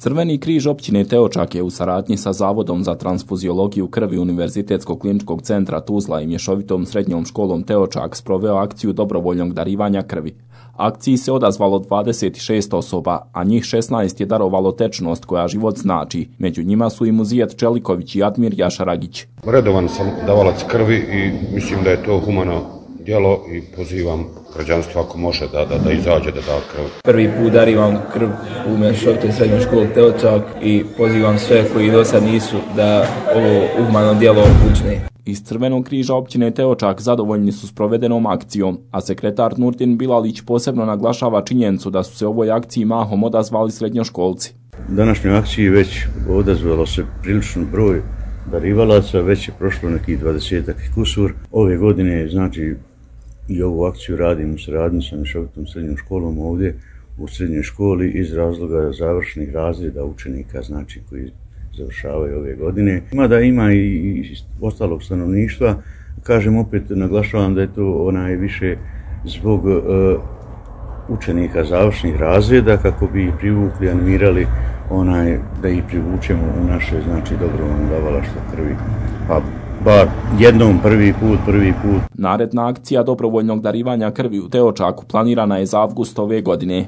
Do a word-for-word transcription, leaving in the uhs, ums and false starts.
Crveni križ općine Teočak je u saradnji sa Zavodom za transfuziologiju krvi Univerzitetskog kliničkog centra Tuzla i mješovitom srednjom školom Teočak sproveo akciju dobrovoljnog darivanja krvi. Akciji se odazvalo dvadeset šest osoba, a njih šesnaest je darovalo tečnost koja život znači. Među njima su i Muzijat Čeliković i Admir Jašaragić. Redovan sam davalac krvi i mislim da je to humano djelo i pozivam građanstvo ako može da, da, da izađe da da krv. Prvi put darivam krv u mješovitoj srednjoj školi Teočak i pozivam sve koji do sad nisu da ovo humano djelo učine. Iz Crvenog križa općine Teočak zadovoljni su s provedenom akcijom, a sekretar Nurdin Bilalić posebno naglašava činjenicu da su se ovoj akciji mahom odazvali srednjoškolci. Današnjoj akciji već odazvalo se priličan broj darivalaca, već je prošlo nekih dvadesetak kusur. Ove godine, znači, i ovu akciju radimo u saradnji sa mješovitom srednjom školom ovdje u srednjoj školi iz razloga završnih razreda učenika, znači, koji završavaju ove godine. Ima da ima i ostalog stanovništva, kažem opet, naglašavam da je to onaj više zbog uh, učenika završnih razreda kako bi ih privukli, animirali onaj da ih privučemo u naše, znači, dobrovoljno davalaštvo krvi. Pa bar jednom prvi put, prvi put. Naredna akcija dobrovoljnog darivanja krvi u Teočaku planirana je za avgust ove godine.